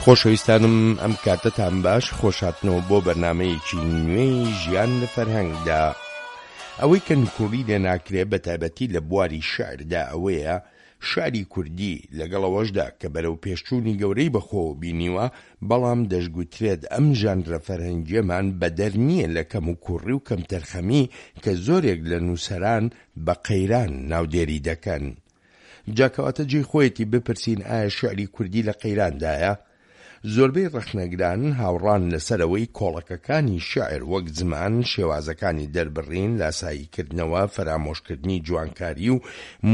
خۆشەویستانم ئەم کاتەتان باش خۆشهاتنەوە بۆ بەرنامەیەکی نوێی ژیان لە فەرهەنگدا. ئەوەی کە نکوڵی لێ ناکرێ بە تایبەتی لە بواری شیعردا ئەوەیە شیعری کوردی لەگەڵ ئەوەشدا کە بەرەو پێشچوونی گەورەی بەخۆوە بینیوە بەڵام دەشگوترێت ئەم ژانرە فەرهەنگیەمان بەدەر نییە لە کەموکوڕی و کەمتەرخەمی کە زۆرێک لە نووسەران بە قەیران ناودێری دەکەن. جا کەواتە جێی خۆیەتی بپرسین ئایا شیعری کوردی لە قەیراندایە؟ زۆربەی ڕەخنەگران هاوڕان لەسەر ئەوەی کۆڵەکەکانی شیعر وەک زمان، شێوازەکانی دەربڕین، لاساییکردنەوە، فەرامۆشکردنی جوانکاری و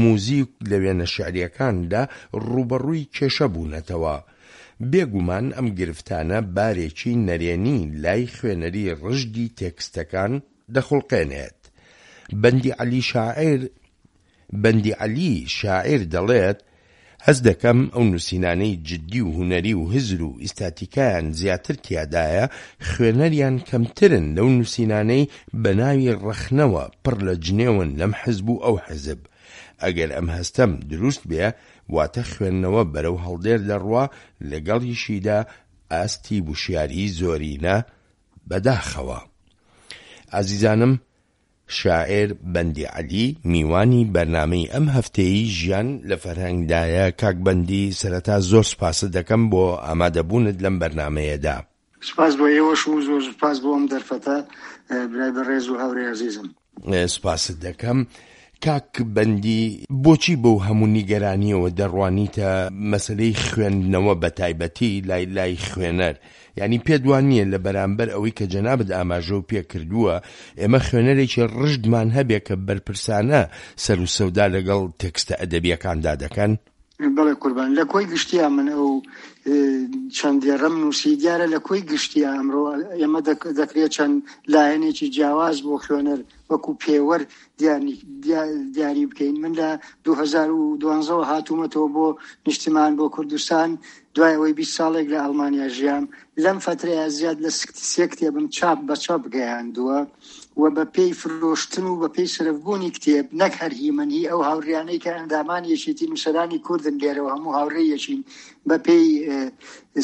موزیک لە وێنە شیعرییەکاندا ڕووبەڕووی کێشە بوونەتەوە. بێ گومان ئەم گرفتانە بارێکی نەرێنی لای خوێنەری ڕژدی تێکستەکان دەخوڵقێنێت. بەندی عەلی شاعیر بەندی عەلی شاعیر دەڵێت، هەست دەکەم ئەو نووسینانەی جدی و هونەری و هزر و ئیستاتیکایان زیاتر تیادایە، خوێنەریان کەمترن لەو نووسینانەی بە ناوی ڕەخنەوە پڕ لە جنێون لەم حزب و ئەو حزب. ئەگەر ئەم هەستەم دروست بێ، واتە خوێندنەوە بەرەو هەڵدێر دەڕوا، لەگەڵیشیدا ئاستی وشیاریی زۆرینە، بەداخەوە. ئازیزانم شاعیر بەندی عەلی میوانی بەرنامەی ئەم هەفتەیەی ژیان لە فەرهەنگدایە، کاک بەندی سەرەتا زۆر سوپاست دەکەم بۆ ئامادەبوونت لەم بەرنامەیەدا. سوپاس بۆ ئێوەش و زۆر سوپاس بۆ ئەم دەرفەتە برای بەڕێز و هاورێ ئەزیزم. سوپاست دەکەم. کاک بەندی بۆچی بەو هەموو نیگەرانییەوە دەڕوانیتە مەسەلەی خوێندنەوە بەتایبەتی لای لای خوێنەر؟ یانی پێت وا نییە لە بەرامبەر ئەوەی کە جەنابت ئاماژەو پێ کردووە ئێمە خوێنەرێکی ڕژدمان هەبێ کە بەرپرسانە سەر و سەودا لەگەڵ تێکستە ئەدەبییەکاندا دەکەن؟ بەڵێ قوربان لە کۆی گشتیا من ئەو چەند دێڕەم نووسی دیارە لە کۆی گشتیا ئەمڕۆ ئێمە دەکرێت چەند لایەنێکی جیاواز بۆ خوێنەر وەکو پێوەر دیاری بکەین من لە 2012ەوە هاتوومەتەوە بۆ نیشتمان بۆ کوردستان دوای ئەوەی 20 ساڵێک لە ئەڵمانیا ژیام لەم فترەیە زیاد لە سێ کتێبم چاپ بە چاپ گەیاندووە و بە پێی فرۆشتن و بە پێی سەرفبوونی کتێب نەک هەر هی من هی ئەو هاوڕیانەی کە ئەندامانی یەکێتی نووسەرانی کوردن لێرەوە هەموو هاوڕێی یەکین بە پێی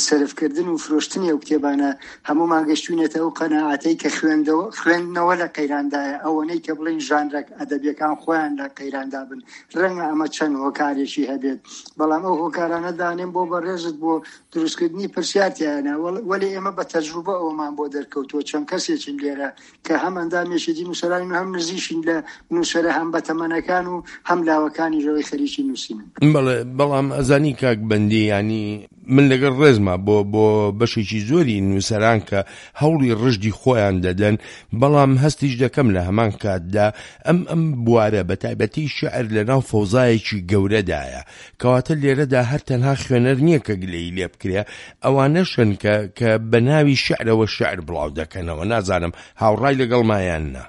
سەرفکردن و فرۆشتنی ئەو کتێبانە هەموومان گەشتوینەتە ئەو قەناعەتەی کە خوێندەوە خوێندنەوە لە قەیراندایە ئەوەنەی کە بڵێین ژانرە ئەدەبیەکان خۆیان لە قەیراندا بن ڕەنگە ئەمە چەند هۆکارێکی هەبێت بەڵام ئەو هۆکارانە دانێم بۆ بەڕێزت بۆ دروستکردنی پرسیار تیایانە وەلێ ئێمە بە تەجروبە ئەوەمان بۆ دەرکەوتووە چەند کەسێکین لێرە کە هەم ئەندام یەکێتی نووسەرانین و هەم نزیکین لە نووسەرە هەم بەتەمەنەکان و هەم لاوەکانیش ئەوەی خەریکی نووسینن. بەڵێ بەڵام ئەزانی کاک بەندی یانی من لەگەڵ ڕێزما بۆ بۆ بەشێکی زۆری نووسەران کە هەوڵی ڕژدی خۆیان دەدەن بەڵام هەستیش دەکەم لە هەمان کاتدا ئەم ئەم بوارە بە تایبەتی شعر لە ناو فەوزایەکی گەورەدایە کەواتە لێرەدا هەر تەنها خوێنەر نییە کە گلەیی لێ بکرێ، ئەوانەشن کە کە بە ناوی شیعرەوە شیعر بڵاو دەکەنەوە، نازانم هاوڕای لەگەڵما یان نا؟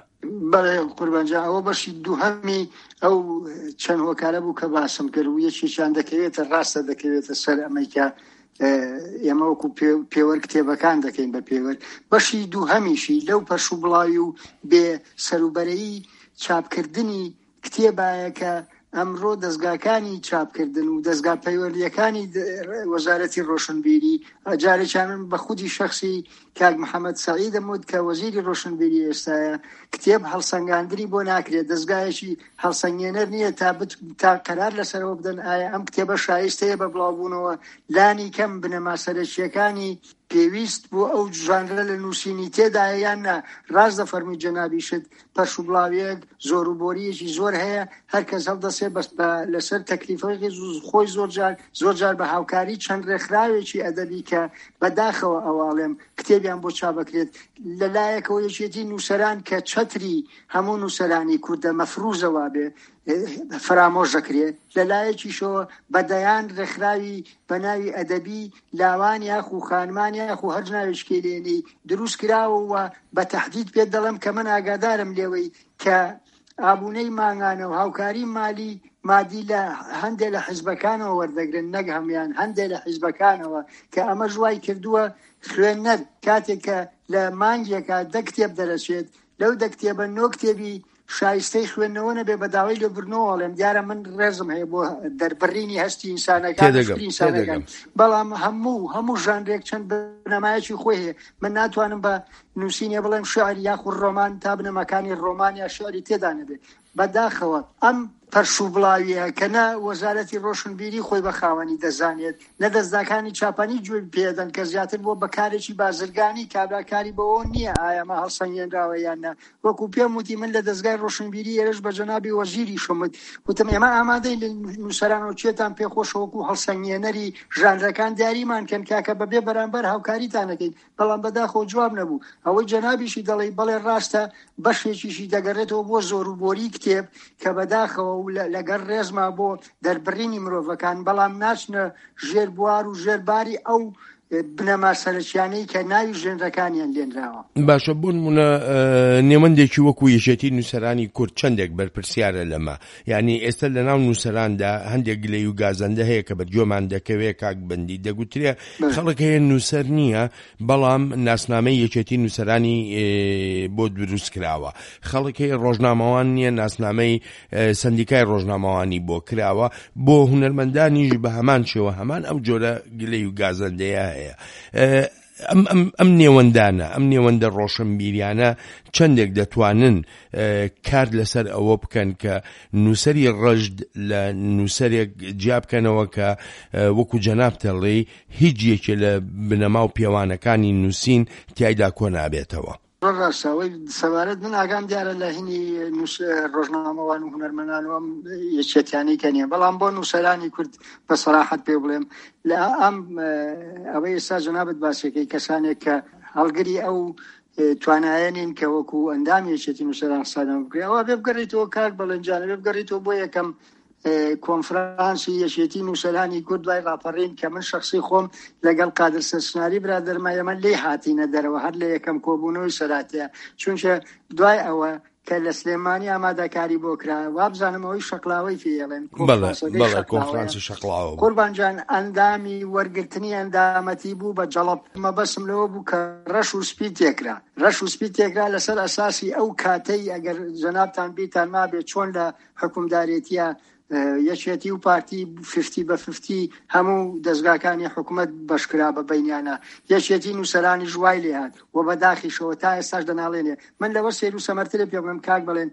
بەڵێ قوربان جان، ئەوە بەشی دووهەمی ئەو چەند هۆکارە بوو کە باسم کرد و یەکێکیان دەکەوێتە ڕاستە دەکەوێتە سەر ئەمەی کە ئێمە وەکو پێوەر کتێبەکان دەکەین بە پێوەر بەشی دووهەمیشی لەو پەرش و بڵاوی و بێ سەروبەرەی چاپکردنی کتێبایە کە ئەمڕۆ دەزگاکانی چاپکردن و دەزگا پەیوەندییەکانی وەزارەتی ڕۆشنبیری جارێکیان من بە خودی شەخسی کاک محەممەد سەعیدم وت کە وەزیری ڕۆشنبیری ئێستایە کتێب هەڵسەنگاندنی بۆ ناکرێت دەزگایەکی هەڵسەنگێنەر نییە تا بت تا قەرار لەسەرەوە بدەن ئایا ئەم کتێبە شایستەیە بە بڵاوبوونەوە لانی کەم بنەما سەرەکییەکانی پێویست بۆ ئەو ژانرە لە نووسینی تێدایە یان نا ڕاست دەفەرمووی جەنابیشت پەرشوبڵاویەک زۆر و بۆریەکی زۆر هەیە هەر کەس هەڵدەسێ بەس بە لەسەر تەکلیفەکەی خۆی زۆر جار زۆر جار بە هاوکاری چەند ڕێکخراوێکی ئەدەبی کە بە داخەوە ئەوە ئەڵێم کتێبیان بۆ چاپ ئەکرێت لە لایەکەوە یەکێتی نووسەران کە چەتری هەموو نووسەرانی کوردە مەفروزە وابێ فەرامۆش دەکرێ لە لایەکیشەوە بە دەیان ڕێکخراوی بە ناوی ئەدەبی لاوان یاخو خانمان یاخو هەر ناوێکی لێنێی دروست کراوە و بە تەحدید پێت دەڵێم کە من ئاگادارم لێوەی کە ئابوونەی مانگانە و هاوکاری مالی مادی لە هەندێ لە حیزبەکانەوە وەردەگرن نەک هەموان هەندێ لە حیزبەکانەوە کە ئەمەش وای کردووە خوێنەر کاتێک کە لە مانگێکا دە کتێب دەرەچێت لەو دە کتێبە نۆ کتێبی. شایستەی خوێندنەوە نەبێ بە داوای لێبوردنەوە ئەڵێم دیارە من ڕێزم هەیە بۆ دەربڕینی هەستی ئینسانەکان و تێدەگەم فکری ئینسانەکان تێدەگەم. بەڵام هەموو هەموو ژانرێک چەند بنەمایەکی خۆی هەیە من ناتوانم بە نووسینێ بڵێم شعر یاخود ڕۆمان تا بنەماکانی ڕۆمان یا شعری تێدا نەبێ بەداخەوە ئەم پەرشوبڵاویە کە نە وەزارەتی ڕۆشنبیری خۆی بە خاوەنی دەزانێت نە دەزگاکانی چاپەنی گوێ پێدەن کە زیاتر بووە بە کارێکی بازرگانی کابرا کاری بەوەوە نییە ئایا ئەمە هەڵسەنگێنراوە یان نا وەکو پێم وتی من لە دەزگای ڕۆشنبیری ئێرەش بە جەنابی وەزیریشم وت وتم ئێمە ئامادەین لە نووسەرانەوە کێتان پێخۆشە وەکو هەڵسەنگێنەری ژانرەکان دیاریمان کەن کاکە بەبێ بەرامبەر هاوکاریتان ئەکەین بەڵام بەداخەوە جواب نەبوو. ئەوەی جەنابیشی دەڵێی بەڵێ ڕاستە بەشێکیشی دەگەڕێتەوە بۆ زۆروبۆری کتێب کە بەداخەوە و لەگەڵ ڕێزما بۆ دەربڕینی مرۆڤەکان بەڵام ناچنە ژێر بوار و ژێر باری ئەو بنەما سەرەکیانەی کە ناوی ژێنرەکانیان لێنراوە. باشە بۆ نمونە نێوەندێکی وەکو یەکێتی نووسەرانی کورد چەندێک بەرپرسیارە لەمە؟ یانی ئێستا لەناو نووسەراندا هەندێک گلەی و گازەندە هەیە کە بە گوێمان دەکەوێ کاک بەندی دەگوترێ خەڵک هەیە نووسەر نییە بەڵام ناسنامەی یەکێتی نووسەرانی بۆ دروست کراوە خەڵک هەیە ڕۆژنامەوان نییە ناسنامەی سندیکای ڕۆژنامەوانی بۆ کراوە بۆ هونەرمەندانیش بە هەمان شێوە هەمان ئەو جۆرە گلەی و گازەندەیە هەیە ئەم ئەم ئەم نێوەندانە ئەم نێوەندە ڕۆشنبیریانە چەندێک دەتوانن کار لەسەر ئەوە بکەن کە نووسەری ڕەشد لە نووسەرێک جیا بکەنەوە کە وەکو جەناب تەڵێی هیچ یەکێ لە بنەما و پێوانەکانی نووسین تیایدا کۆ نابێتەوە. زۆر ڕاستە ئەوەی سەبارەت من ئاگام دیارە لە هینی ڕۆژنامەوان و هونەرمەندان و ئەم یەکێتیانەی کە نییە بەڵام بۆ نووسەرانی کورد بە سەراحەت پێ بڵێم لە ئەم ئەوەی ئێستا جەنابت باسەکەی کەسانێک کە هەڵگری ئەو توانایە نین کە وەکو ئەندامی یەکێتی نووسەران حسابیان بکرێ ئەوە بێ بگەڕێتەوە کاک بەڵێنجانە بێ بگەڕێتەوە بۆ یەکەم کۆنفرانسی یەکێتی نووسەرانی کورد دوای ڕاپەڕین کە من شخصی خۆم لەگەڵ قادر سەرچناری برادەرمە ئێمە لێی هاتینە دەرەوە هەر لە یەکەم کۆبوونەوەی سەراتەیە چونکە دوای ئەوە کە لە سلێمانی ئامادەکاری بۆ کرا وابزانم ئەوەی شەقلاوەی پێڵێن کۆنفرانسی شەقلاوە قوربان جان ئەندامی وەرگرتنی ئەندامەتی بوو بە جەڵەب مەبەسم لەوە بوو کە ڕەش و سپی تێکرا ڕەش و سپی تێکرا لەسەر ئەساسی ئەو کاتەی ئەگەر جەنابتان بیرتان مابێت چۆن لە حکومدارێتیە یەکێتی و پارتی ففتی بە ففتی هەموو دەزگاکانی حکومەت بەشکرا بە بینیانە یەکێتی نووسەرانیش وای لێهات و بە داخیشەوە تا ئێستاش دەناڵێنێ من لەوە سێر و سەمەرترێ پێ بڵێم کاک بەڵێن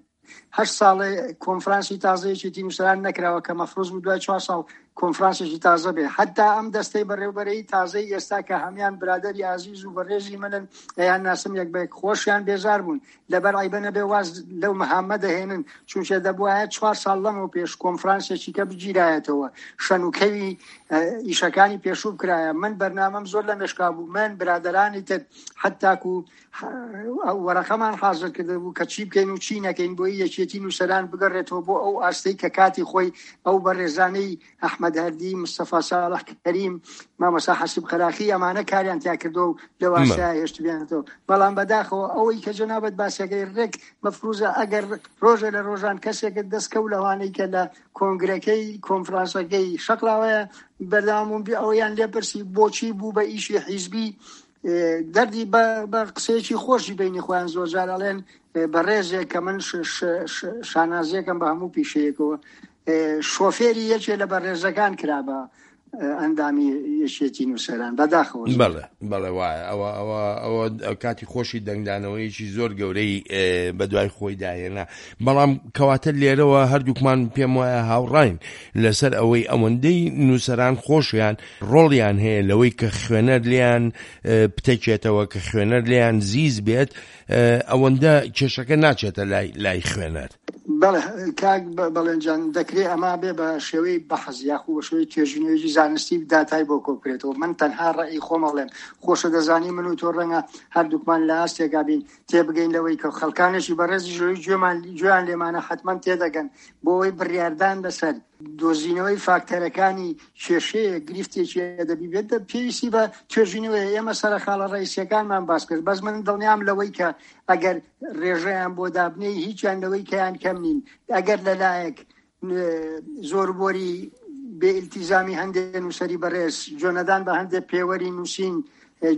هەشت ساڵێ کۆنفرانسی تازە یەکێتی نووسەران نەکراوە کە مەفروز بوو دوای چوار ساڵ کۆنفرانسێکی تازە بێ حتا ئەم دەستەی بەڕێوبەرەی تازەی ئێستا کە هەمان برادری ئازیز و بەڕێزی منن ئەیان ناسم یەک بە یەک خۆشیان بێزار بوون لەبەر عەیبە نەبێ واز لەو مەهامە دەهێنن، چونکە دەبوایە چوار ساڵ لەمەو پێش کۆنفرانسێکی کە بگیرایەتەوە، شەن و کەوی ئیشەکانی پێشوو بکرایە. من بەرنامەم زۆر لە مێشکا بوو، من، برادەرانی تر، حەتاکو وەرەقەمان حازر کردبوو کە چی بکەین و چی نەکەین بۆی یەکێتی نووسەران بگەڕێتەوە بۆ ئەو ئاستەی کە کاتی خۆی ئەو بەڕێزانەی ئەحمەد هەردی، مستەفا ساڵح کەریم، مامۆستا حەسیب قەراخی ئەمانە کاریان تیا کردووە و لەو ئاستەیا هێشتبیانەتەوە. بەڵام بەداخەوە ئەوەی کە جەنابت باسەکەی ڕێک مەفروزە ئەگەر ڕۆژێ لە ڕۆژان کەسێکت دەست کەوت لەوانەی کە لە کۆنگرەکەی کۆنفرانسەکەی شەقڵاوەیە بەردەوام بوون ئەوەیان لێ پرسی بۆچی بوو بە ئیشی حیزبی دەردی بە قسەیەکی خۆشی بینی خۆیان زۆرجار ئەڵێن بەڕێزێک کە من شانازیەکەم بە هەموو پیشەیەکەوە شۆفێری یەکێ لە بەڕێزەکان کرا بە ئەندامی یەکێتی نووسەران بەداخەوە بەڵێ بەڵێ وایە ئەوە ئەوە ئەوە کاتی خۆشی دەنگدانەوەیەکی زۆر گەورەی بە دوای خۆی داهێنا بەڵام کەواتە لێرەوە هەردووکمان پێم وایە هاوڕین لەسەر ئەوەی ئەوەندەی نووسەران خۆشیان ڕۆڵیان هەیە لەوەی کە خوێنەر لێیان پتەکێتەوە کە خوێنەر لێیان زیز بێت ئەوەندە کێشەکە ناچێتە لای لای خوێنەر. بەڵێ کاک بەڵێن جان دەکرێ ئەمە بێ بە شێوەی بەحس یاخو بە شێوەی توێژینەوەیەکی زانستی داتای بۆ کۆ بکرێتەوە من تەنها ڕەئی خۆم ئەڵێم خۆشە دەزانی من و تۆ ڕەنگە هەردووکمان لە ئاستێکا بین تێبگەین لەوەی کە خەڵکانێکی بەڕێزیش لەوەی گوێمان گوێیان لێمانە حەتمەن تێدەگەن بۆ ئەوەی بڕیاردان لەسەر دۆزینەوەی فاکتەرەکانی کێشەیەک، گرفتێکی ئەدەبی بێت، پێویستی بە توێژینەوەیە. ئێمە سەرە خاڵە ڕەئیسییەکانمان باس کرد، بەس من دڵنیام لەوەی کە ئەگەر ڕێژەیان بۆ دابنێی هیچیان لەوەی کەیان کەم نین. ئەگەر لەلایەک زۆربۆری بێ ئیلتیزامی هەندێ نووسەری بەڕێز، گوێنەدان بە هەندێ پێوەری نووسین.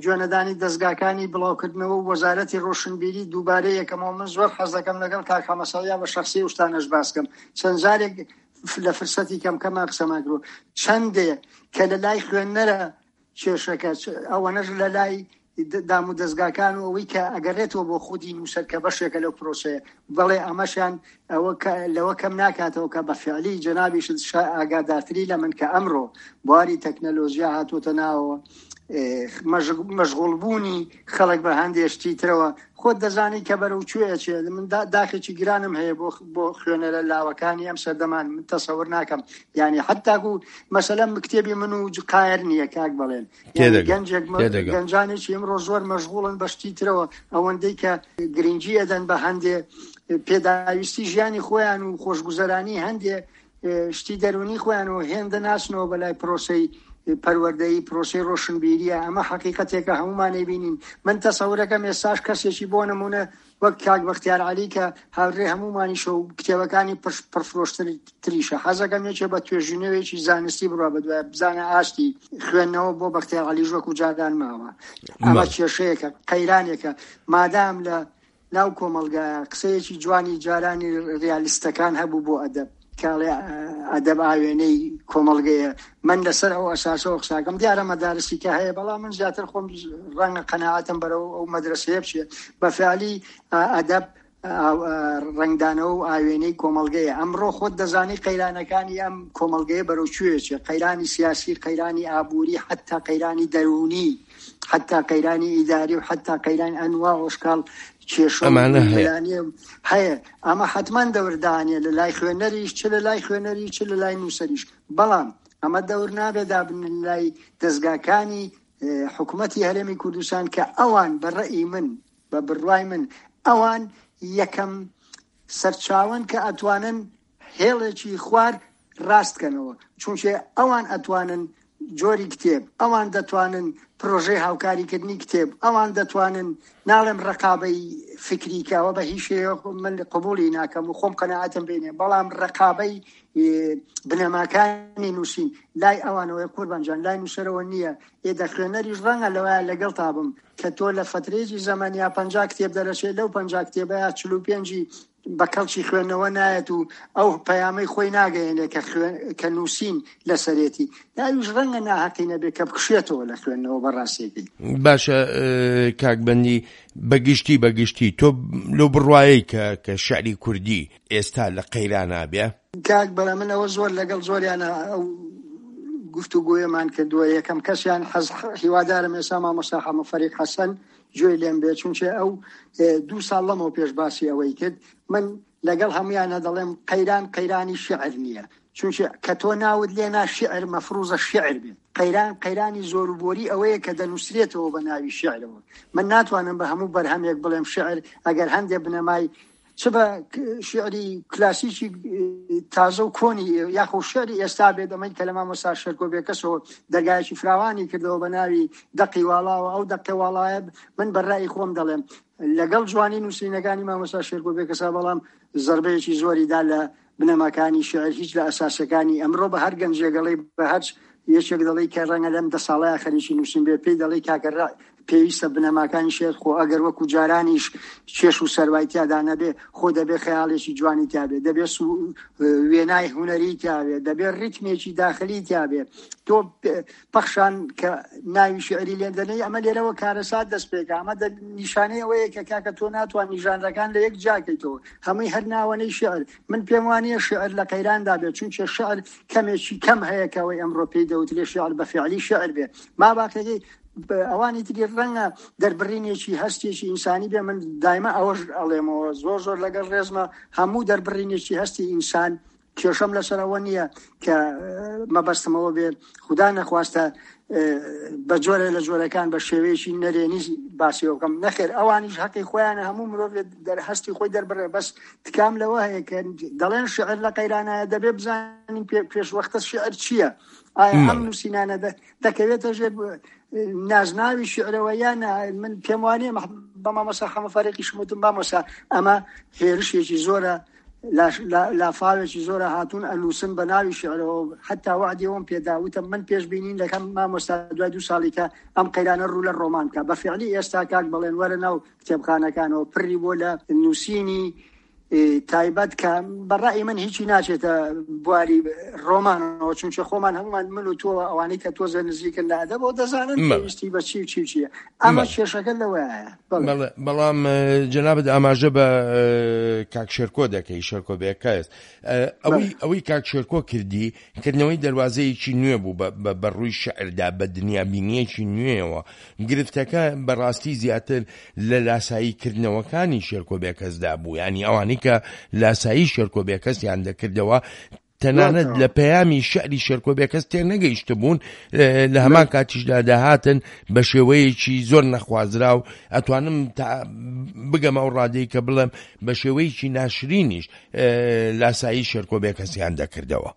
گوێنەدانی دەزگاکانی بڵاوکردنەوە و وەزارەتی ڕۆشنبیری دووبارە یەکەمەوە من زۆر حەز دەکەم لەگەڵ کاک حەمەسەڵیا بە شەخسی ئەو شتانەش باس کەم چەند جارێک لە فرسەتی کەم کەما قسەمان کردووە چەندێ کە لە لای خوێنەرە کێشەکە ئەوەنەش لە لای دام و دەزگاکان و ئەوەی کە ئەگەرێتەوە بۆ خودی نووسەر کە بەشێکە لەو پرۆسەیە بەڵێ ئەمەشیان ئەوە لەوە کەم ناکاتەوە کە بە فعلی جەنابیشت ئاگادارتری لە من کە ئەمڕۆ بواری تەکنەلۆژیا هاتووەتە ناوەوە مەشغوڵ بوونی خەڵک بە هەندێ شتی ترەوە خۆت دەزانی کە بەرەو کوێ ئەچێت من داخێکی گرانم هەیە بۆ بۆ خوێنەرە لاوەکانی ئەم سەردەمان من تەسەور ناکەم یعنی حتاکو مەسەلەن کتێبی من و قایەر نییە کاک بەڵێن گەنجێک گەنجانێکی ئەمڕۆ زۆر مەشغوڵن بە شتی ترەوە ئەوەندەی کە گرنگی ئەدەن بە هەندێ پێداویستی ژیانی خۆیان و خۆشگوزەرانی هەندێ شتی دەرونی خۆیان و هێندە ناچنەوە بەلای پرۆسەی پەروەردەیی پرۆسەی ڕۆشنبیریە ئەمە حەقیقەتێکە هەمومان ئەیبینین من تەسەورەکەم ئێستاش کەسێکی بۆ نمونە وەک کاک بەختیار عەلی کە هاوڕێ هەمومانیشە و کتێبەکانی پڕفرۆشتر تریشە حەزەکەم یەکێ بە توێژینەوەیەکی زانستی بڕوا بەدوای بزانە ئاستی خوێندنەوە بۆ بەختیار عەلیش وەکو جاران ماوە ئەمە کێشەیەکە قەیرانێکە مادام لە ناو کۆمەڵگایە قسەیەکی جوانی جارانی ڕیالیستەکان هەبوو بۆ ئەدەب کە ئەڵێ ئەدەب ئاوێنەی کۆمەڵگەیە من لەسەر ئەو ئەساسەوە قساکەم دیارە مەدارسی کە هەیە بەڵام من زیاتر خۆم ڕەنگە قەناعەتم بەرەو ئەو مەدرسەیە بچێ بە فعلی ئەدەب ڕەنگدانەوە و ئاوێنەی کۆمەڵگەیە ئەمڕۆ خۆت دەزانی قەیرانەکانی ئەم کۆمەڵگەیە بەرەو کوێ چێ قەیرانی سیاسی قەیرانی ئابووری حتا قەیرانی دەروونی حتا قەیرانی ئیداری و حتا قەیران ئەنوا ئۆشکاڵ کێشە ئەمانە هەیە هەیە ئەمە حتمما دەوردانە لە لای خوێنەریش چ لە لای خوێنەری چ لە لای نووسەریش بەڵام ئەمە دەور نابێ دابن لای دەستگاکانی حکوومەتی هەرێمی کوردستان کە ئەوان بە ڕئی من بە بڕوای من ئەوان یەکەم سەرچاوەن کە ئەتوانن هێڵێکی خوار ڕاست کەنەوە چونکێ ئەوان ئەتوانن جۆری کتێب ئەوان دەتوانن پرۆژەی هاوکاریکردنی کتێب ئەوان دەتوانن ناڵێم ڕقابەی فکری کە ئەوە بە هیچ شێوەیەک من قبوڵی ناکەم و خۆم قەناعەتم پێ نییە بەڵام ڕقابەی بنەماکانی نووسین لای ئەوانەوەی قوربان جان لای نووسەرەوە نییە ئێ دەخوێنەریش ڕەنگە لەوەیە لەگەڵتا بم کە تۆ لە فەترەیەکی زەمەن یا 50 کتێب دەرەچێت لەو 50 کتێبەیە 45ی بە کەڵکی خوێندنەوە نایەت و ئەو پەیامەی خۆی ناگەیەنێ کە کە نووسین لەسەرێتی ئەویش ڕەنگە ناهەقی نەبێ کە بکشێتەوە لە خوێندنەوە بە ڕاستێکی. باشە کاک بەندی بە گشتی بە گشتی تۆ لەو بڕوایەی کە کە شعری کوردی ئێستا لە قەیرانا بێ؟ کاک بەرە من ئەوە زۆر لەگەڵ زۆریانە ئەو گفتوگۆیەمان کردووە یەکەم کەسیان حەز هیوادارم ئێستا مامۆستا حەمە فەریق حەسەن گوێی لێم بێ چونکێ ئەو دوو ساڵ لەمەو پێش باسی ئەوەی کرد من لەگەڵ هەمویانە دەڵێم قەیران قەیرانی شعر نییە چونکە کە تۆ ناوت لێنا شعر مەفروزە شعر بێت قەیران قەیرانی زۆر و بۆری ئەوەیە کە دەنووسرێتەوە بە ناوی شعرەوە من ناتوانم بە هەموو بەرهەمێک بڵێم شعر ئەگەر هەندێ بنەمای چ بە شیعری کلاسیکی تازە و کۆنی یاخۆ شعری ئێستا بێت ئەمەی کە لە مامۆستا شێرکۆ بێکەسەوە دەرگایەکی فراوانی کردەوە بە ناوی دەقی واڵاوە ئەو دەقی واڵایە من بە ڕای خۆم دەڵێم لەگەڵ جوانی نووسینەکانی مامۆستا شێرکۆ بێکەسا بەڵام زربەیەکی زۆری دا لە بنەماکانی شعر هیچ لە ئەساسەکانی ئەمڕۆ بە هەر گەنجێگەڵی بە هەر یەکێک دەڵێی کە ڕەنگە لەم دە ساڵەیا خەریکی نووسین بێ پێی دەڵێی کاکە ڕا پێویستە بنەماکانی شێر خۆ ئەگەر وەکو جارانیش کێش و سەروای تیادا نەبێ خۆ دەبێ خەیاڵێکی جوانی تیابێ دەبێ وێنای هونەری تیابێ دەبێ ڕیتمێکی داخلی تیابێ تۆ پەخشان کە ناوی شعری لێ دەنێی ئەمە لێرەوە کارەسات دەست پێکا ئەمە نیشانەی ئەوەیە کە کاکە تۆ ناتوانانی ژانرەکان لە یەک جیاکەیتەوە هەمووی هەر ناوەنەی شعر من پێم وانییە شیعر لە قەیراندا بێت، چونکێ شیعر کەمێکی کەم هەیە کە ئەوەی ئەمڕۆ پێی دەوترێ شیعر بە فیعلی شیعر بێ. ما باقیەکەی ئەوانی تری ڕەنگە دەربڕینێکی هەستێکی ئینسانی بێ، من دایمە ئەوەش ئەڵێمەوە زۆر زۆر لەگەڵ ڕێزمە هەموو دەربڕینێکی هەستی ئینسان کێشەم لەسەر ئەوە نییە کە مەبەستمەوە بێ خودا نەخواستە بە جۆرە لە جۆرەکان بە شێوەیەکی نەرێنی باسی بکەم نەخێر ئەوانیش هەقی خۆیانە هەموو مرۆڤ دەرهستی خۆی دەربڕێ بەس تکام لەوە هەیە کە دەڵێن شعر لە قەیرانایە دەبێ بزانین پێش وەختە شعر چییە ئایا ئەم نووسینانە دەکەوێتە ژێر نازناوی شعرەوە یان من پێم وانە بە مامۆسا حەمە فەرێکی شموتم مامۆسا ئەمە هێرشێکی زۆرە. لافاوێکی زۆرە هاتوون ئەنووسن بە ناوی شعرەوە حتا وعدی ئەوم پێدا وتم من پێشبینین دەکەم مامۆستا دوای دوو ساڵی کە ئەم قەیرانە ڕوو لە ڕۆمان بکە بە فعلی ئێستا کاک بەڵێن وەرە ناو کتێبخانەکانەوە پڕی بۆ لە نووسینی تایبەت کە بە ڕای من هیچی ناچێتە بواری ڕۆمانەوە چونکە خۆمان هەمومان من و تۆ ئەوانەی کە تۆزە نزیکن لە ئەدەبەوە دەزانن پێویستی بە چی و چی و چیە ئەمە کێشەکە لەوەیە. بەڵام جەنابت ئاماژە بە کاک شێرکۆ دەکەی شێرکۆ بێکەس ئەوەی ئەوەی کاک شێرکۆ کردی کردنەوەی دەروازەیەکی نوێ بوو بە ڕووی شعردا بە دنیابینیەکی نوێیەوە گرفتەکە بەڕاستی زیاتر لە لاسایی کردنەوەکانی شێرکۆ بێکەسدا بوو ینی ئەوانەی کە لاسایی شێرکۆ بێکەسیان دەکردەوە تەنانەت لە پەیامی شعری شێرکۆ بێکەس تێ نەگەیشتبوون لە هەمان کاتیشدا دەهاتن بە شێوەیەکی زۆر نەخوازراو ئەتوانم تا بگەمە ئەو ڕادەی کە بڵێم بە شێوەیەکی ناشرینیش لاسایی شێرکۆ بێکەسیان دەکردەوە.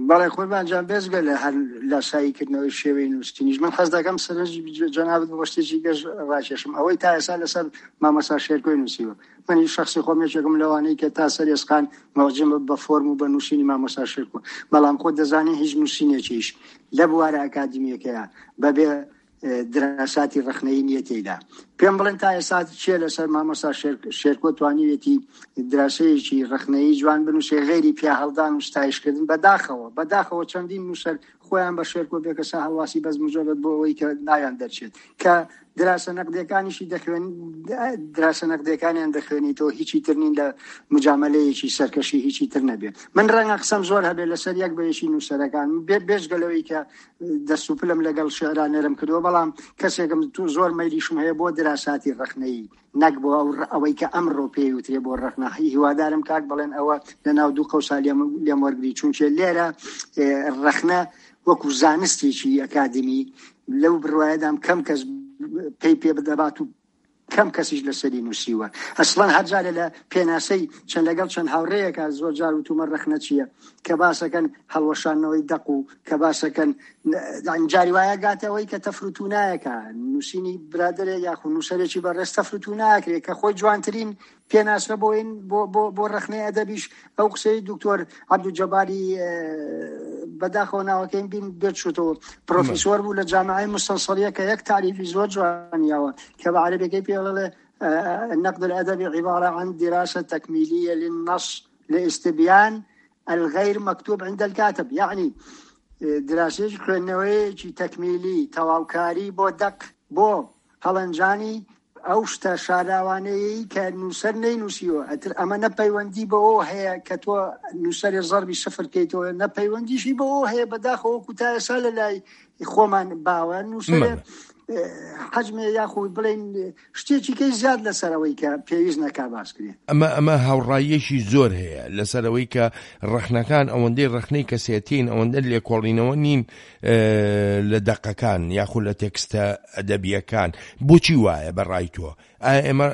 بەڵێ قوربان جان بێجگە لە هەر لاسایی کردنەوەی شێوەی نووسینیش من حەز دەکەم سەرنجی جەنابت بۆ شتێکی گەش ڕاکێشم ئەوەی تا ئێستا لەسەر مامۆستا شێرکۆی نووسیوە منیش شەخسی خۆم یەکێکم لەوانەی کە تا سەر ئێسقان موعجب بە فۆرم و بە نووسینی مامۆستا شێرکۆ بەڵام خۆت دەزانی هیچ نووسینێکیش لە بوارە ئەکادیمیەکەیا بەبێ دراساتی ڕەخنەیی نییە تێیدا. پێم بڵێن تا ئێستا کێ لەسەر مامۆستا شێرکۆ توانیوێتی دراسەیەکی ڕەخنەیی جوان بنووسێ غەیری پیاهەڵدان و ستایشکردن؟ بەداخەوە بەداخەوە چەندین نووسەر خۆیان بە شێرکۆ بێکەسا هەڵواسی بەس مجرد بۆ ئەوەی کە ناویان دەرچێت کە دراسە نەقدیەکانیشی دەخوێن دراسە نەقدیەکانیان دەخوێنیتەوە هیچی تر نین لە مجاملەیەکی سەرکەشی هیچی تر نەبێت من ڕەنگە قسەم زۆر هەبێت لەسەر یەک بە یەکی نووسەرەکان بێ بێجگە لەوەی کە دەست و پلم لەگەڵ شعرا نەرم کردووە بەڵام کەسێکم تو زۆر مەیلیشم هەیە بۆ دراساتی ڕەخنەیی نەک بۆ ئەو ئەوەی کە ئەمڕۆ پێی وترێ بۆ ڕەخنە هیوادارم کاک بەڵێن ئەوە لە ناو دوو قەوسا لێم لێم وەرگری چونکێ لێرە ڕەخنە وەکو زانستێکی ئەکادمی لەو بڕوایەدام کەم کەس پێی پێ بدەبات و کەم کەسیش لەسەری نووسیوە ئەسڵەن هەر جارێ لە پێناسەی چەند لەگەڵ چەند هاوڕێیەکە زۆر جار وتومە ڕەخنە چییە کە باسەکەن هەڵوەشاندنەوەی دەق و کە باسەکەن جاری وایە گاتەوەی کە تەفروتونایەکە نووسینی برادەرێک یاخو نووسەرێکی بەڕێز تەفروتوناکرێ کە خۆی جوانترین پێناسە بۆ بۆ بۆ بۆ ڕەخنەی ئەدەبیش ئەو قسەی دکتۆر عەبدولجەباری بەداخەوە ناوەکەیم بین بێت شتەوە پرۆفیسۆر بوو لە جامعەی مستەنسەریە کە یەک تاریفی زۆر جوانیاوە کە بە عەرەبیەکەی پێڵێ النقد الأدبي عبارة عن دراسة تكميلية للنص لاستبيان الغير مكتوب عند الكاتب يعني دراسەیەکی خوێندنەوەیەکی تەکمیلی تەواوکاری بۆ دەق بۆ هەڵەنجانی ئەو شتە شاراوانەیەی کە نووسەر نەینووسیوە، ئیتر ئەمە نە پەیوەندی بەوەوە هەیە کە تۆ نووسەرێ زەربی سفر کەیتەوە، نە پەیوەندیشی بەوەوە هەیە بەداخەوە وەکو تا ئێستا لە لای خۆمان باوە نووسەرێ حەجمێ یاخود بڵێین شتێکی کەی زیاد لەسەر ئەوەی کە پێویست نەکا باس کرێ. ئەمە ئەمە هاوڕاییەکی زۆر هەیە لەسەر ئەوەی کە ڕەخنەکان ئەوەندەی ڕەخنەی کەسێتین ئەوەندە لێکۆڵینەوە نین لە دەقەکان یاخود لە تێکستە ئەدەبییەکان بۆچی وایە بە ڕای تۆ؟ ئایا ئێمە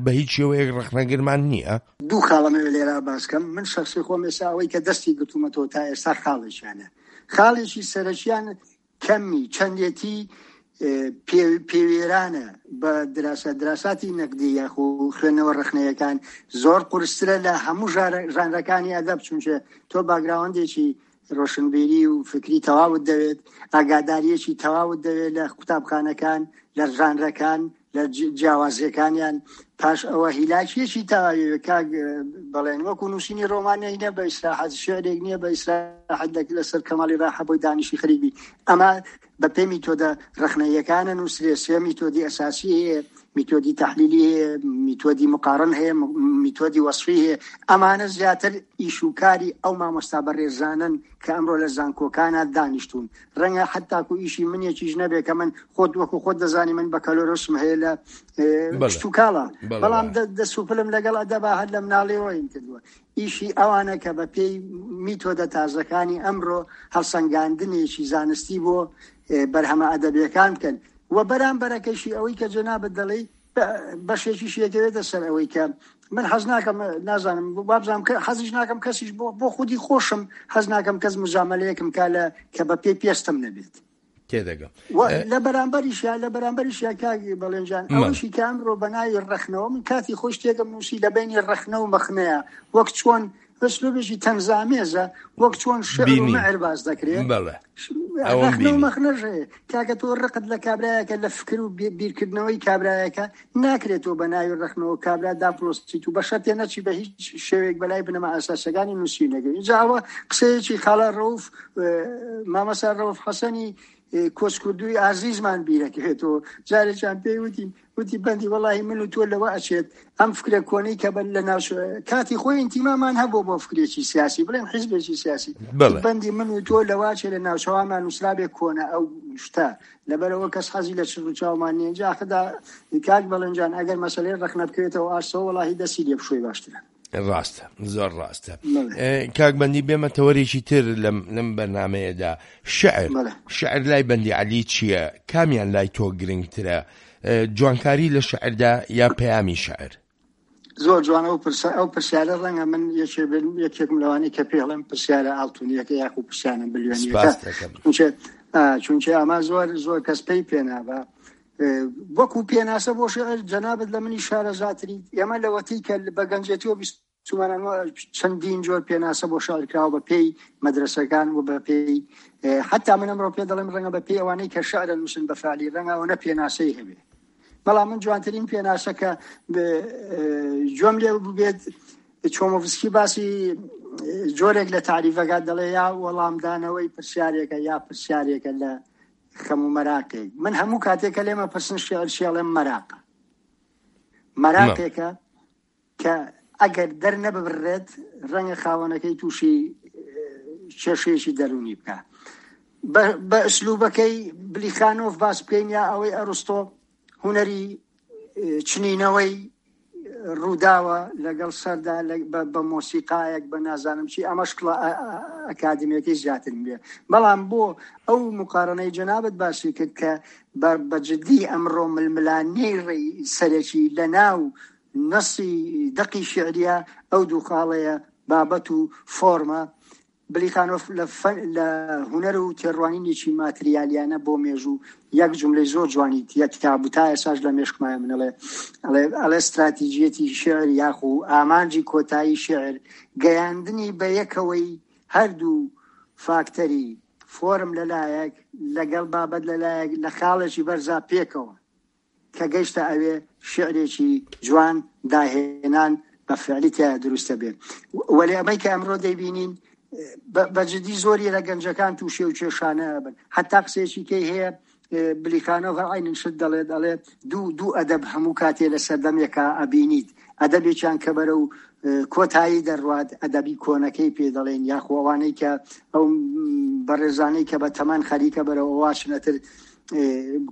بە هیچ شێوەیەک ڕەخنەگرمان نییە؟ دوو خاڵم هەیە لێرە باس کەم، من شەخسی خۆم ئێستا ئەوەی کە دەستی گرتوومەتەوە تا ئێستا خاڵێکیانە، خاڵێکی سەرەکیان کەمی چەندێتی پێوێرانە بە دراسە دراساتی نەقدی یاخو خوێندنەوە ڕەخنەیەکان زۆر قورسترە لە هەموو ژانرەکانی ئەدەب چونکە تۆ باگراوەندێکی ڕۆشنبیری و فکری تەواوت دەوێت، ئاگادارییەکی تەواوت دەوێت لە قوتابخانەکان، لە ژانرەکان، لە جیاوازییەکانیان، پاش ئەوە هیلاکییەکی تەواوی دەوێت کاک بەڵێن، وەکو نووسینی ڕۆمان نییە بە ئیسراحەت، شیعرێک نییە بە ئیسراحەت لەسەر کەماڵی ڕاحە بۆی دانیشی خەریک بی، ئەمە بە پێی میتۆدە ڕەخنەییەکانە نووسرێ، سێ میتۆدی ئەساسی هەیە، میتۆدی تەحلیلی هەیە، میتۆدی مقارن هەیە، میتۆدی وەسفی هەیە، ئەمانە زیاتر ئیش و کاری ئەو مامۆستا بەڕێزانەن کە ئەمڕۆ لە زانکۆکانا دانیشتوون، ڕەنگە حەتاکو ئیشی منێکیش نەبێ کە من خۆت وەکو خۆت دەزانی من بەکالۆرۆسم هەیە لە کشتوکاڵە، بەڵام دەست و پلم لەگەڵ ئەدەبا هەر لە مناڵیەوە ین کردووە. ئیشی ئەوانە کە بە پێی میتۆدە تازەکانی ئەمڕۆ هەڵسەنگاندنێکی زانستی بۆ بەرهەمە ئەدەبیەکان بکەن و بەرامبەرەکەشی ئەوەی کە جەنابت دەڵێی بەشێکیشی ئەکەوێتە سەر ئەوەی کە من حەز ناکەم نازانم وابزانم کە حەزیش ناکەم کەسیش بۆ بۆ خودی خۆشم حەز ناکەم کەس مجاملەیەکم کا لە کە بە پێی پێستم نەبێت. تێدەگەم. و لە بەرامبەریشیا لە بەرامبەریشیا کاک بەڵێن جان ئەوەشی کە ئەمڕۆ بە ناوی ڕەخنەوە من کاتی خۆی شتێکم نووسی لە بەینی ڕەخنە و مەخنەیە وەک چۆن ئسلوبێکی تەنزامێزە وەک چۆن شعر و بینیم. مەعر باس دەکرێ بەڵێ. ئەوەم ڕەخنە و بینی. مەخنەش هەیە کاکە تۆ ڕقت لە کابرایەکە لە فکر و بیرکردنەوەی کابرایەکە ناکرێت تۆ بە ناوی ڕەخنەوە کابرا داپڵۆسیت و بە شەرتێ نەچی بە هیچ شێوەیەک بەلای بنەما ئەساسەکانی نووسینەکەی ئینجا ئەوە قسەیەکی خاڵە ڕەوف مامەسا ڕەوف حەسەنی کۆچکردووی ئازیزمان بیرەکەوێتەوە جارێکیان پێی وتین وتی بەندی وەڵاهی من و تۆ لەوە ئەچێت ئەم فکرە کۆنەی کە بە لە ناو کاتی خۆی ئینتیمامان هەبوو بۆ فکرێکی سیاسی بڵێن حیزبێکی سیاسی بەڵێ. بەندی من و تۆ لەوە ئەچێت لە ناوچەوانمان نووسرابێ کۆنە ئەو شتە لەبەرئەوە کەس حەزی لە چرک و چاومان نیە جا خدا کاک بەڵێن جان ئەگەر مەسەلەی ڕەخنە بکەوێتەوە ئاستەوە وەڵاهی دەستی لێ بشۆی باشترە. ڕاستە زۆر ڕاستە کاک بەندی بێمە تەوەرێکی تر لەم لەم بەرنمەیەدا شعر شعر لای بەندی عەلی چییە کامیان لای تۆ گرنگترە جوانکاری لە شعردا یا پەیامی شعر زۆر جوانە ئەو پرسە ئەو پرسیارە ڕەنگە من یەکێ بن یەکێکم لەوانەی کە پێڵێم پرسیارە ئاڵتونیەکە یاخو پرسیانە بلیۆنیەکە سپاس دەکەم. چونکە ئا، چونکە ئەمە زۆر زۆر کەس پێی پێنابا وەکو پێناسە بۆ شعر جەنابت لە منی شارەزاتریت ئێمە لەوەتەی کە بە گەنجێتیەوە بیستومانە چەندین جۆر پێناسە بۆ شعر کراوە بە پێی مەدرەسەکان و بە پێی حتا من ئەمڕۆ پێ دەڵێم ڕەنگە بە پێی ئەوانەی کە شعر نووسن بە فعلی ڕەنگە ئەوەنە پێناسەی هەبێ بەڵام من جوانترین پێناسە کە گوێم لێ ببێت چۆمۆڤسکی باسی جۆرێک لە تاریفەکە دەڵێ یا وەڵامدانەوەی پرسیارێکە یا پرسیارێکە لە خەم و مەراقێک من هەموو کاتێک کە لێمە پرسن شعر شێڵێم مەراقە مەراقێکە کە ئەگەر دەرنەببرێت ڕەنگە خاوەنەکەی تووشی کێشەیەکی دەروونی بکە بە ئسلوبەکەی بلیخانۆف باس بکەین یا ئەوەی ئەرستۆ هونەری چنینەوەی ڕووداوە لەگەڵ سەردا بە مۆسیقایەک بە نازانم چی ئەمە شکڵە ئەکادمیەکەی زیاتر بێ بەڵام بۆ ئەو مقارنەی جەنابەت باسی کرد کە بە جدی ئەمڕۆ ململانێی ڕێی سەرەکی لە ناو نەسی دەقی شیعریە ئەو دوو خاڵەیە، بابەت و فۆرمە. بلیخانۆف لە فەن لە هونەر و تێڕوانینێکی ماتریالیانە بۆ مێژوو یەک جوملەی زۆر جوانی تیا بوو تا ئێستاش لە مێشکمایە من ئەڵێ ئەڵێ ئەڵێ ستراتیجیەتی شیعر یاخو ئامانجی کۆتایی شیعر گەیاندنی بە یەکەوەی هەردوو فاکتەری فۆرم لەلایەک لەگەڵ بابەت لەلایەک لە خاڵێکی بەرزا پێکەوە کە گەیشتە ئەوێ شیعرێکی جوان داهێنان بە فعلی تیایا دروست دەبێ وەلێ ئەمەی کە ئەمڕۆ دەیبینین بە جدی زۆری لە گەنجەکان تووشی و کێشانە ئەبن حتا قسەیەکی کەی هەیە بلیخانۆڤ عینن شت دەڵێت ئەڵێ دوو دوو ئەدەب هەموو کاتێ لە سەردەمێکا ئەبینیت ئەدەبێکیان کە بەرەو کۆتایی دەڕوات ئەدەبی کۆنەکەی پێ دەڵێن یاخۆ ئەوانەی کە ئەو بەڕێزانەی کە بە تەمەن خەریکە بەرەو ئەواشنەتر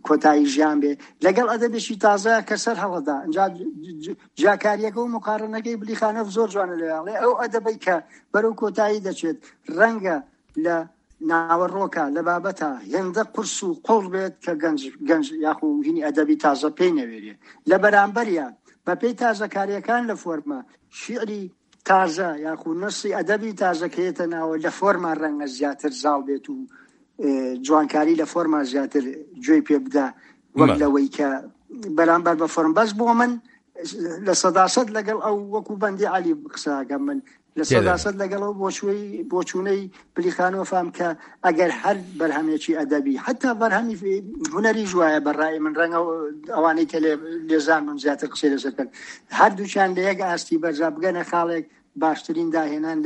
کۆتایی ژیان بێ لەگەڵ ئەدەبێکی تازە کە سەر هەڵەدا ئەجا جیاکاریەکە و مقارنەکەی بلیخانۆف زۆر جوانە لەوێڵێ ئەو ئەدەبەی کە بەرەو کۆتایی دەچێت ڕەنگە لە ناوەڕۆکە لە بابەتە هێندە قورس و قوڵ بێت کە گەنج گەنج یاخو هینی ئەدەبی تازە پێی نەوێرێ لە بەرامبەریا بەپێی تازەکاریەکان لە فۆرمە شیعری تازە یاخو نەسی ئەدەبی تازە کە یەتە ناوە لە فۆرما ڕەنگە زیاتر زاڵ بێت و جوانکاری لە فۆرما زیاتر گوێی پێ بدا وەک لەوەی کە بەرامبەر بە فۆرم بەس بۆ من لە سەداسەد لەگەڵ ئەو وەکو بەندی علی قساگەم من لە سەداسەد لەگەڵ ئەو بۆچووی بۆچوونەی بلیخانۆفام کە ئەگەر هەر بەرهەمێکی ئەدەبی حتا بەرهەمی هونەریش وایە بە ڕای من ڕەنگە ئەوانەی کە لێزان بن زیاتر قسەی لەسەر بکەن هەردووکیان لە یەک ئاستی بەرزا بگەنە خاڵێک باشترین داهێنان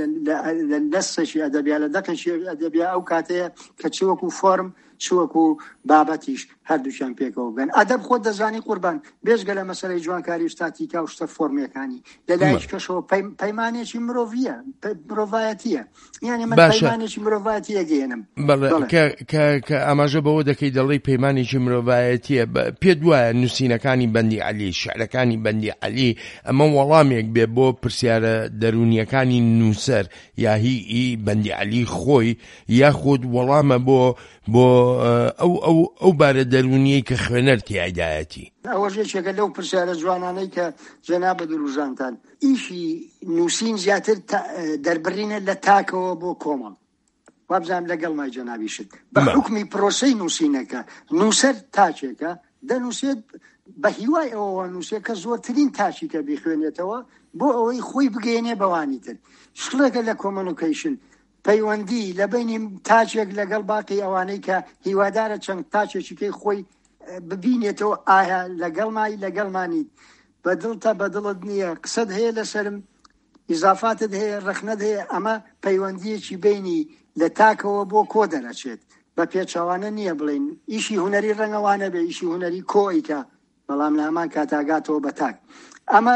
لە نەسێکی ئەدەبیا لە دەقێکی ئەدەبیا ئەو کاتەیە کە چ وەکو فۆرم چ وەکو بابەتیش هەردووکیان پێکەوە بگەن. ئەدەب خۆت دەزانی قوربان، بێجگە لە مەسەلەی جوانکاری و ستاتیکا و شتە فۆرمیەکانی، لە لایەکی کەشەوە پەیمانێکی مرۆڤییە، مرۆڤایەتییە. یانی من باشە. پەیمانێکی مرۆڤایەتی ئەگەیەنم. بەڵێ، بەڵێ. کە، کە، کە ئاماژە بەوە دەکەی دەڵێی پەیمانێکی مرۆڤایەتییە، بە، پێت وایە نووسینەکانی بەندی عەلی، شیعرەکانی بەندی عەلی ئەمە وەڵامێک بێ بۆ پرسیارە دەروونییەکانی نووسەر یا هی ئی بەندی عەلی خۆی یاخود وەڵامە بۆ بۆ ئەو ئەو ئەو بارە دەروونیەی کە خوێنەر تیایدایەتی. ئەوەش یەکێکە لەو پرسیارە جوانانەی کە جەنابت وروژاندتان. ئیشی نووسین زیاتر دەربڕینە لە تاکەوە بۆ کۆمەڵ. وابزانم لەگەڵمای جەنابیشت بە حوکمی پرۆسەی نووسینەکە نووسەر تاکێکە دەنووسێت بە هیوای ئەوەوە نووسێ کە زۆرترین تاکی کە بیخوێنێتەوە بۆ ئەوەی خۆی بگەیەنێ بەوانی تر شکڵێکە لە کۆمەنوکەیشن پەیوەندی لە بەینی تاکێک لەگەڵ باقی ئەوانەی کە هیوادارە چەند تاکێکی کەی خۆی ببینێتەوە ئایا لەگەڵمای لەگەڵمانیت بە دڵتە بە دڵت نییە قسەت هەیە لەسەرم ئیزافاتت هەیە ڕەخنەت هەیە ئەمە پەیوەندیەکی بینی لە تاکەوە بۆ کۆ دەرەچێت بە پێچەوانە نییە بڵێین ئیشی هونەری ڕەنگە وا نەبێ ئیشی هونەری کۆ ئەیکا بەڵام لە هەمان کاتا گاتەوە بە تاک ئەمە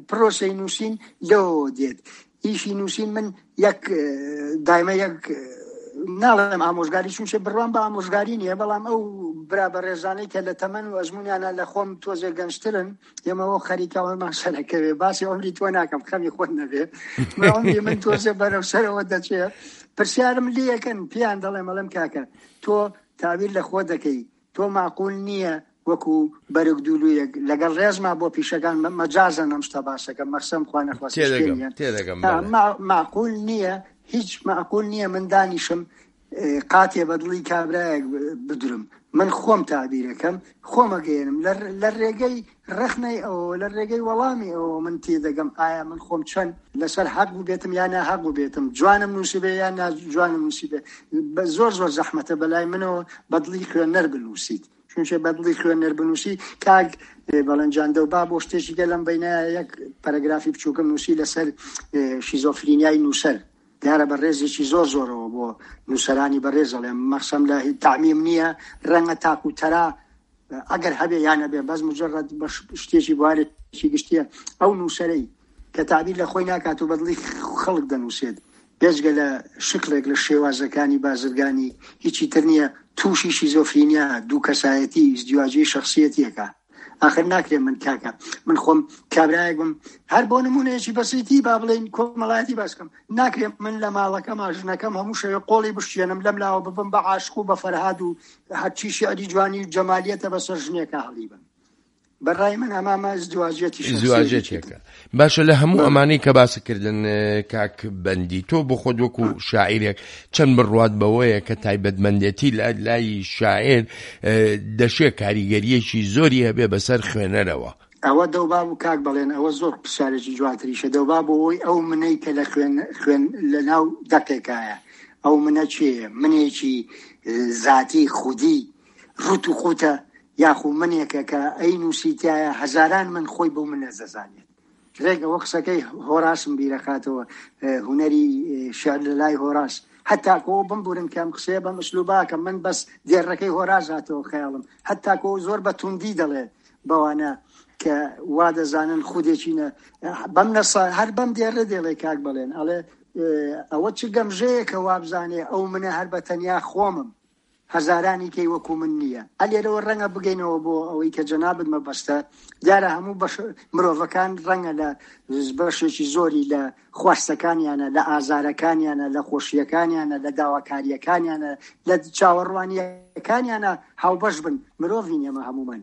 پرۆسەی نووسین لەوەوە دێت ئیشی نووسین من یەک دایمە یەک ناڵێم ئامۆژگاری چونچە بڕوام بە ئامۆژگاری نییە بەڵام ئەو برا بەڕێزانەی کە لە تەمەن و ئەزمونیانە لە خۆم تۆزێ گەنجترن ئێمەوە خەریکە ئەومان سەرەکەوێ باسی عمری تۆ ناکەم خەمی خۆت نەبێ عمری من تۆزێ بەرەو سەرەوە دەچێ پرسیارم لەکەن پێیان دەڵێم ئەڵێم کاکە تۆ تاویر لە خۆ دەکەی تۆ ماقول نییە وەکو بەرگ دوولویەک لەگەڵ ڕێزما بۆ پیشەکان مەجازەن ئەم شتە باسەکەم مەخسەم خوا نەخواستە تێدەگەم تێدەگەم بەڵێ. ماقول نییە هیچ ماقول نییە من دانیشم قاتێ بە دڵی کابرایەک بدرم من خۆم تابیرەکەم خۆمەگەێنم لە ڕێگەی ڕەخنەی ئەوەوە لە ڕێگەی وەڵامی ئەوەوە من تێدەگەم ئایا من خۆم چەند لەسەر حەق بووبێتم یا ناحەق بووبێتم، جوانم نووسیبێ یا ناجوانم نووسیبێ. زۆر زۆر زەحمەتە بەلای منەوە بە دڵی خوێنەر بنووسیت. چونکە بە دڵی خوێنەر بنووسی کاک بەڵێن جان دەوبا بۆ شتێکی کە لەم بەینایە یەک پەرەگرافی بچووکم نووسی لەسەر شیزۆفرینیای نووسەر. دیارە بە ڕێزێکی زۆر زۆرەوە بۆ نووسەرانی بەڕێز ئەڵێم، مەخسەم لە تەعمیم نییە، ڕەنگە تاک و تەرا ئەگەر هەبێ یان نەبێ بەس مجرد بە شتێکی بوارێکی گشتیە ئەو نووسەرەی کە تعبیر لە خۆی ناکات و بەدڵی خەڵک دەنووسێت بێجگە لە شکڵێک لە شێوازەکانی بازرگانی هیچی تر نییە تووشی شیزۆفرینیا دوو کەسایەتی ئیزدیواجی شخصیەتیەکە ئاخر ناکرێ من کاکە من خۆم کابرایەک بم هەر بۆ نمونەیەکی بەسیتی با بڵێین کۆمەڵایەتی باسکەم ناکرێ من لە ماڵەکەما ژنەکەم هەموو شەوێ قۆڵی بشکێنم لەم لاوە ببم بە عاشق و بە فەرهاد و هەرچی شعری جوانی و جەمالیەتە بەسەر ژنێکا هەڵیبم بەڕای من ئەمامە ازدواجیەتی شخصیەتێکە. ازدواجیەتێکە باشە لە هەموو ئەمانەی کە باست کردن کاک بەندی تۆ بۆ خۆت وەکو شاعیرێک چەند بڕوات بەوەیە کە تایبەتمەندێتی لە لای شاعیر دەشێ کاریگەریەکی زۆری هەبێ بەسەر خوێنەرەوە؟ ئەوە دەوبا بوو کاک بەڵێن ئەوە زۆر پرسیارێکی جوانتریشە دەوبا بۆ ئەوەی ئەو منەی کە لە خوێن خوێن لە ناو دەقێکایە ئەو منە کێیە منێکی زاتی خودی ڕوت و قوتە یاخو منێکە کە ئەی نووسی تایە هەزاران من خۆی بەو منە دەزانێت ڕێک ئەوە قسەکەی هۆراسم بیرەخاتەوە هونەری شعر لە لای هۆراس هەتاکۆ بمبورن کە ئەم قسەیە بەم ئسلوباکەم من بەس دێڕەکەی هۆراس هاتەوە خەیاڵم هەتاکۆ زۆر بە توندی دەڵێ بەوانە کە وا دەزانن خودێکی نە بەم نەسا هەر بەم دێڕە دێڵێ کاک بەڵێن ئەڵێ ئەوە چ گەمژەیەکە وابزانێ ئەو منە هەر بە تەنیا خۆمم هەزارانی کەی وەکو من نییە. ئە لێرەوە ڕەنگە بگەینەوە بۆ ئەوەی کە جەنابت مەبەستە، دیارە هەموو بەش مرۆڤەکان ڕەنگە لە بەشێکی زۆری لە خواستەکانیانە، لە ئازارەکانیانە، لە خۆشییەکانیانە، لە داواکارییەکانیانە، لە چاوەڕوانییەکانیانە هاوبەش بن، مرۆڤین ئێمە هەموومان.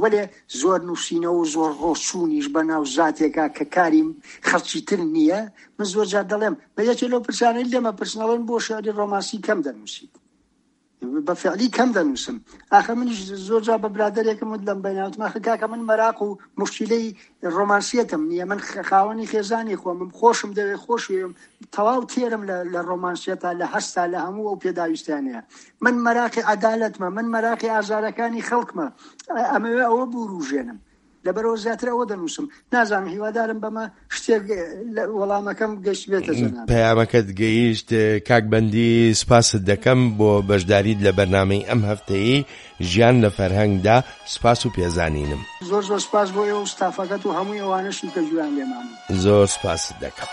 وەلێ زۆر نووسینەوە و زۆر ڕۆچوونیش بە ناو زاتێکا کە کاری خەڵکی تر نییە، من زۆر جار دەڵێم، بە یەکێ لەو پرسیارانەی لێم ئەپرسن ئەڵێن بۆ شیعری ڕۆمانسی کەم دەنووسیت؟ بە فعلی کەم دەنووسم. ئاخر منیش زۆر جار بە برادەرێکم وت لەم بەینە وتم ئاخر کاکە من مەراق و موشکیلەی ڕۆمانسیەتم نییە، من خاوەنی خێزانی خۆمم، خۆشم دەوێ، خۆشوێم، تەواو تێرم لە لە ڕۆمانسیەتا، لە هەستا، لە هەموو ئەو پێداویستیانەیە. من مەراقی عەدالەتمە، من مەراقی ئازارەکانی خەڵکمە، ئەمەوێ ئەوە بوروژێنم. لەبەرئەوە زیاتر ئەوە دەنووسم. نازانم هیوادارم بەمە شتێک لە وەڵامەکەم گەیشتبێتە جەنابت. پەیامەکەت گەیشت کاک بەندی، سوپاست دەکەم بۆ بەشداریت لە بەرنامەی ئەم هەفتەیەی ژیان لە فەرهەنگدا، سوپاس و پێزانینم. زۆر زۆر سوپاس بۆ ئێوە و ستافەکەت و هەمووی ئەوانەشی کە گوێیان لێمان بوو. زۆر سوپاست دەکەم.